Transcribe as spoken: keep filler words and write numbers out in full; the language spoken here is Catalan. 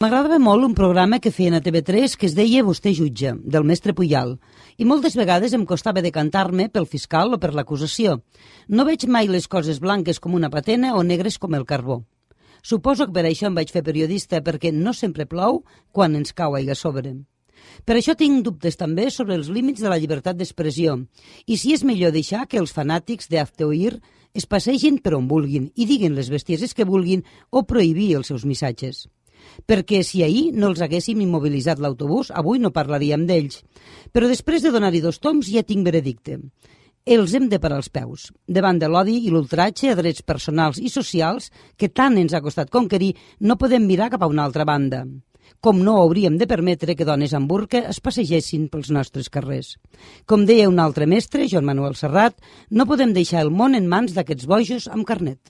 M'agradava molt un programa que feien a T V tres que es deia Vostè jutge, del mestre Puyal, i moltes vegades em costava decantar-me pel fiscal o per l'acusació. No veig mai les coses blanques com una patena o negres com el carbó. Suposo que per això em vaig fer periodista, perquè no sempre plou quan ens cau aigua a sobre. Per això tinc dubtes també sobre els límits de la llibertat d'expressió i si és millor deixar que els fanàtics d'Hazte Oír es passegin per on vulguin i diguin les bestieses que vulguin o prohibir els seus missatges. Perquè si ahir no els haguéssim immobilitzat l'autobús, avui no parlaríem d'ells. Però després de donar-hi dos toms ja tinc veredicte. Els hem de parar els peus. Davant de l'odi i l'ultratge a drets personals i socials que tant ens ha costat conquerir, no podem mirar cap a una altra banda. Com no hauríem de permetre que dones amb burca es passegessin pels nostres carrers. Com deia un altre mestre, Joan Manuel Serrat, no podem deixar el món en mans d'aquests bojos amb carnet.